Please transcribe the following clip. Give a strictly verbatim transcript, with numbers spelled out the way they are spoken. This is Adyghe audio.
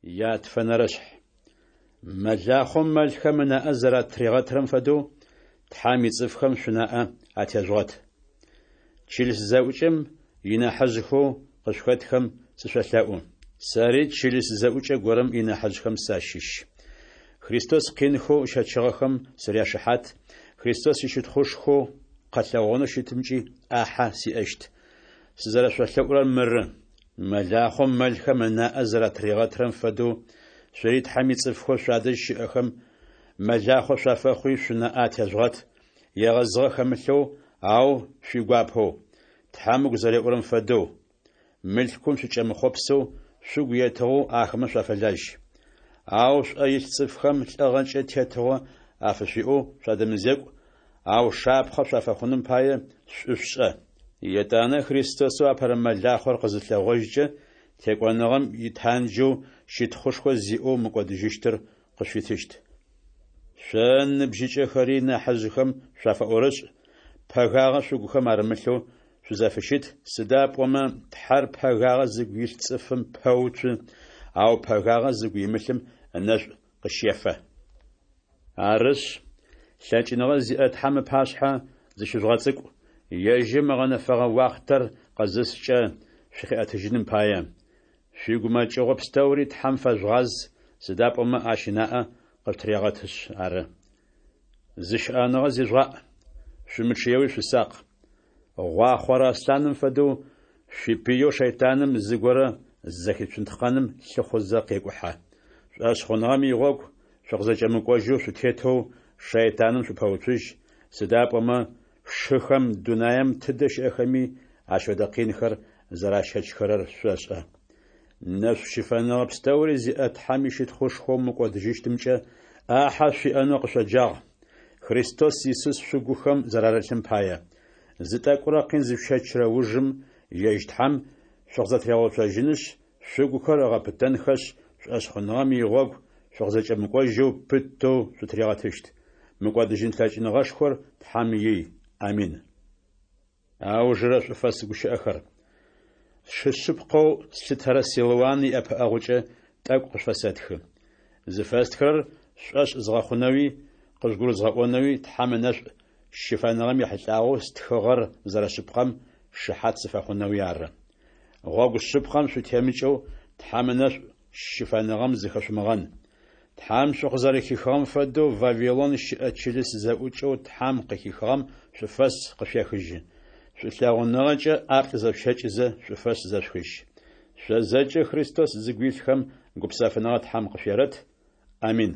Ятфэнэрэшъхь. Мэлахъом мэлхэм ынаӏэ зэратригъэтырэм фэдэу, Тхьэм ицӏыфхэм шъунаӏэ атежъугъэт. Чылыс зэӏукӏэм инахьыжъхэу къышъухэтхэм сышъолъэӏу. Сэри чылыс зэӏукӏэ горэм инахьыжъхэм сащыщ. Христос къинхэу ыщэчыгъэхэм сыряшыхьат, Христос ищытхъушхоу къэлъэгъонэу щытымкӏи ӏахьэ сиӏэщт. Сызэрэшъолъэӏурэр мыры: мэлахъом мэлхэм ынаӏэ зэратригъэтырэм фэдэу, шъори Тхьэм ицӏыфхэу шъуадэжь щыӏэхэм мэлахъо шъуафэхъуи шъунаӏэ атежъугъэт, егъэзыгъэ хэмылъэу, ау шъуигуапэу, Тхьэм ыгу зэреӏурэм фэдэу, мылъкум шъукӏэмыхъопсэу, шъугу етыгъэу ахэмэ шъуафэлажь. Ау шъуӏэ илъ цӏыфхэм лӏыгъэкӏэ тетыгъо афышъуиӏэу шъуадэмызекӏу, ау шапхъэ шъуафэхъуным пае, шӏу шъушӏэ. Етӏанэ Христосэу апэрэ мэлахъор къызылъэгъожькӏэ, текӏоныгъэм итанджэу щытхъушхо зиӏэу мыкӏодыжьыщтыр къышъуитыщт. Шъо, ныбжьыкӏэхэри, нахьыжъхэм шъуафэӏорышӏ, пэгагъэ шъугухэм арымылъэу шъузэфыщыт, сыда пӏомэ Тхьэр пэгагъэ зыгу илъ цӏыфым пэуцу, ау пэгагъэ зыгу имылъым ынэшӏу къыщефэ. Арышъ, лъэкӏыныгъэ зиӏэ Тхьэм ыпашъхьэ зыщыжъугъэцӏыкӏу, ежьым ыгъэнэфэгъэ уахътэр къызыскӏэ, шъукъиӏэтыжьыным пае. Шъуигумэкӏыгъо пстэури Тхьэм фэжъугъаз, сыда пӏомэ Ащ ынаӏэ къышъутырегъэтышъ ары. Зыщыӏэныгъэ зижъугъаӏ, шъумычъыеуи шъусакъ. Гъуахъорэ аслъаным фэдэу, шъуипыеу шэйтаным зыгорэ зэхицунтхъэным лъыхъузэ къекӏухьэ. Шӏошъхъуныгъэм игъогу шъукъызэкӏэмыкӏожьэу шъутетэу шэйтаным шъупэуцужь, сыда пӏомэ шыхэм дунаем тыдэ щыӏэхэми ащ фэдэ къинхэр зэращэчхэрэр шъошӏэ. Нэшӏу щыфэныгъэ пстэури зиӏэ Тхьэм ищытхъушхоу мыкӏодыжьыщтымкӏэ ӏахьэ шъуиӏэнэу къышъоджагъ, Христос Исус шъугухэм зэрарылъым пае. Зы тӏэкӏурэ къин зышъущэчрэ ужым, ежь Тхьэм шъукъызэтыригъэуцожьынышъ, шъугухэр ыгъэпытэнхэшъ, шӏошъхъуныгъэм игъогу шъукъызэкӏэмыкӏожьэу пытэу шъутыригъэтыщт. Мыкӏодыжьын лъэкӏыныгъэшхор Тхьэм ий. Амин. Аужырэ шӏуфэс гущыӏэхэр. Сшы шъыпкъэу слъытэрэ Силуан иӏэпыӏэгъукӏэ тӏэкӏу къышъуфэсэтхы. Зыфэстхырэр шъушӏошъ згъэхъунэуи, къыжъугурызгъэӏонэуи Тхьэм ынэшӏу щыфэныгъэм ехьылӏагъэу стхыгъэр зэрэшъыпкъэм шыхьат сыфэхъунэуи ары. Гъогу шъыпкъэм шъутемыкӏэу Тхьэм ынэшӏу щыфэныгъэм зыхэшъумыгъэн. Тхьэм шъукъызэрэхихыгъэм фэдэу Вавилон щыӏэ чылыс зэӏукӏэу Тхьэм къыхихыгъэм шӏуфэс къышъуехыжьы. Шӏулъэгъуныгъэкӏэ ӏаплӏ зэшъущэкӏызэ шӏуфэс зэшъухыжь. Шъо зэкӏэ Христос зыгу илъхэм гупсэфыныгъэ Тхьэм къышъуерэт. Амин.